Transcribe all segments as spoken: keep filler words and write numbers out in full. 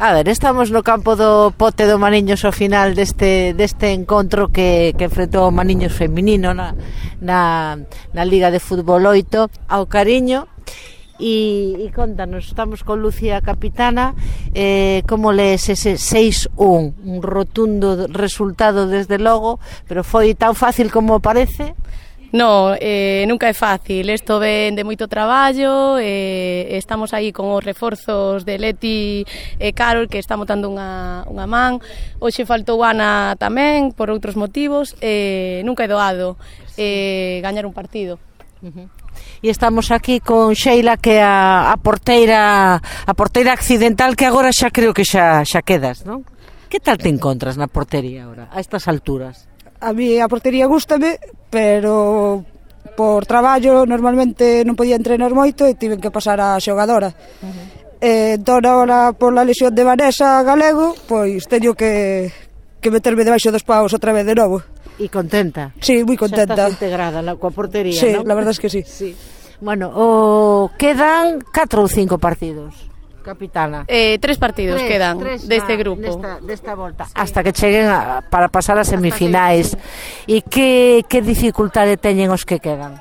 A ver, estamos no campo do Pote do Maniños ao final deste, deste encontro que, que enfrentou o Maniños feminino na, na, na Liga de Fútbol oito ao Cariño. E, e contanos, estamos con Lucía Capitana, eh, como lees ese seis un, un rotundo resultado desde logo, pero foi tan fácil como parece? No, eh, nunca é fácil, isto ven de moito traballo, eh, estamos aí con os reforzos de Leti e Carol que están botando unha, unha man, hoxe faltou Ana tamén por outros motivos, eh, nunca é doado eh, gañar un partido. Uh-huh. E estamos aquí con Sheila, que é a, a porteira a porteira accidental, que agora xa creo que xa, xa quedas, non? Que tal te encontras na portería agora, a estas alturas? A mí a portería gústame, pero por traballo normalmente non podía entrenar moito e tiven que pasar a xogadora. Uh-huh. eh, entón agora por la lesión de Vanessa Galego, pois teño que, que meterme debaixo dos paus outra vez de novo. E contenta? Sí, moi contenta. Xa estás integrada na, coa portería, sí, non? Sí, la verdad es que sí. Sí. Bueno, o quedan catro ou cinco partidos, Capitana. Eh, tres partidos tres, quedan tres deste na, grupo. Desta, desta volta. Sí. Hasta que cheguen a, para pasar a semifinais. E que, que dificultade teñen os que quedan?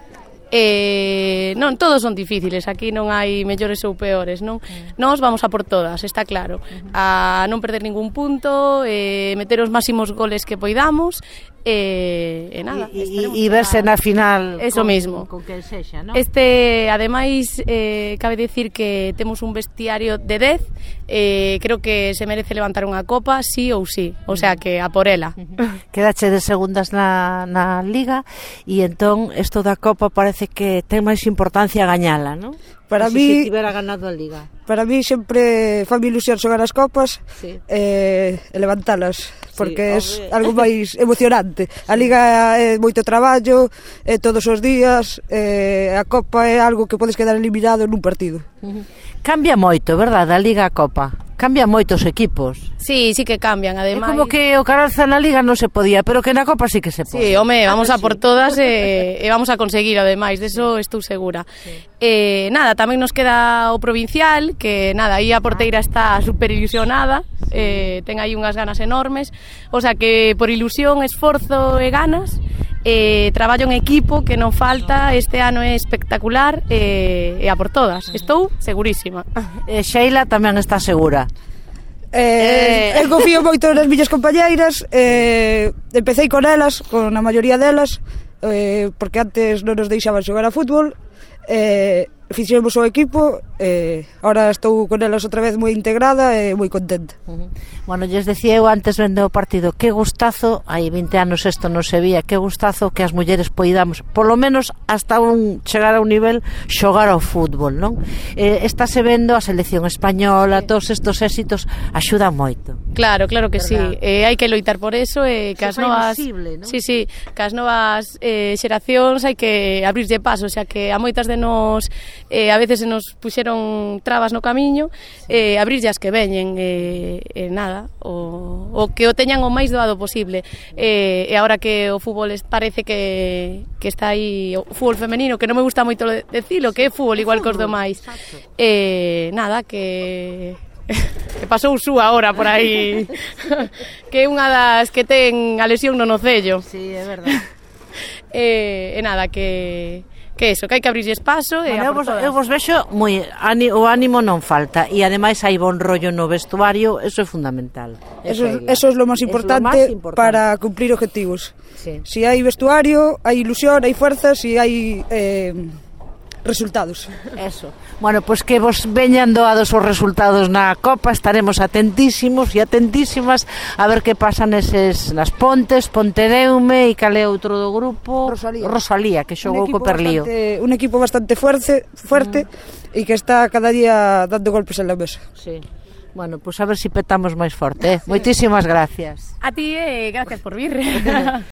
Eh, non, todos son difíciles, aquí non hai mellores ou peores, non? Uh-huh. Nós vamos a por todas, está claro, uh-huh. a non perder ningún punto, eh, meter os máximos goles que poidamos, e, e nada. E, e verse na final eso con, mismo. Con que sexa, non? Este, ademais, eh, cabe dicir que temos un vestiario de dez, eh, creo que se merece levantar unha copa, sí ou sí, o sea que a por ela. Uh-huh. Quedache de segundas na, na Liga, e entón isto da copa parece que ten máis importancia gañala, non? Para mí, si tivera ganado a Liga. Para mí sempre fa ilusión xogar as copas, sí. eh, e levantalas, porque sí, é algo máis emocionante. Sí. A Liga é moito traballo, é todos os días, eh, a copa é algo que podes quedar eliminado nun partido. Uh-huh. Cambia moito, verdade, a Liga a Copa? Cambia moitos equipos. Sí, sí que cambian, ademais. É como que o Caralza na Liga non se podía, pero que na Copa sí que se pode. Sí, home, vamos a por todas e, e vamos a conseguir, ademais, deso estou segura. Sí. Eh, nada, tamén nos queda o provincial, que nada, aí a porteira está super ilusionada, eh, ten aí unhas ganas enormes, o sea que por ilusión, esforzo e ganas, eh, traballo en equipo que non falta, este ano é espectacular e, e a por todas, estou segurísima. E Sheila tamén está segura. Eh, eh. Eu confío moito nas miñas compañeiras, eh, empecé con elas, con a maioría delas, eh, porque antes non nos deixaban xogar a fútbol, eh, fixemos o equipo, eh, ahora estou con elas outra vez moi integrada e moi contenta. Uh-huh. Bueno, lles decía eu antes vendo o partido, que gustazo, hai vinte anos isto non se vía, que gustazo que as mulleres poidamos, polo menos hasta un chegar a un nivel xogar ao fútbol, non? Eh, estáse vendo a selección española, sí. Todos estos éxitos axudan moito. Claro, claro que ¿verdad? Sí, eh, hai que loitar por eso, e eh, que as novas, visible, ¿no? Sí, sí, que as novas eh, xeracións hai que abrirlle paso, o sea que a moitas de nós eh, a veces se nos puxeron trabas no camiño, sí. eh, abrirlle as que veñen, e eh, eh, nada, o, o que o teñan o máis doado posible, eh, e agora que o fútbol parece que, que está aí, o fútbol femenino, que non me gusta moito decilo, que é fútbol igual que os demais, eh, nada, que que pasou Su agora por aí que é unha das que ten a lesión no nocello. Sí, é verdade. e, e nada, que que eso, que hai que abrirlle espazo e bueno, eu, vos, eu vos vexo moi, o ánimo non falta, e ademais hai bon rollo no vestuario, eso é fundamental. Eso, eso é lo máis importante, importante para cumplir objetivos. Sí. Si hai vestuario, hai ilusión, hai fuerza, si hai eh, resultados. Eso. Bueno, pois pues que vos veñan doados os resultados na Copa, estaremos atentísimos e atentísimas a ver que pasa neses, nas Pontes, Pontedeume e cal é outro do grupo, Rosalía, Rosalía que xogou co Perlío. Bastante, un equipo bastante fuerte, fuerte mm. e que está cada día dando golpes en la mesa. Sí. Bueno, pois pues a ver se si petamos máis forte, eh? Moitísimas gracias. A ti, eh, gracias por vir.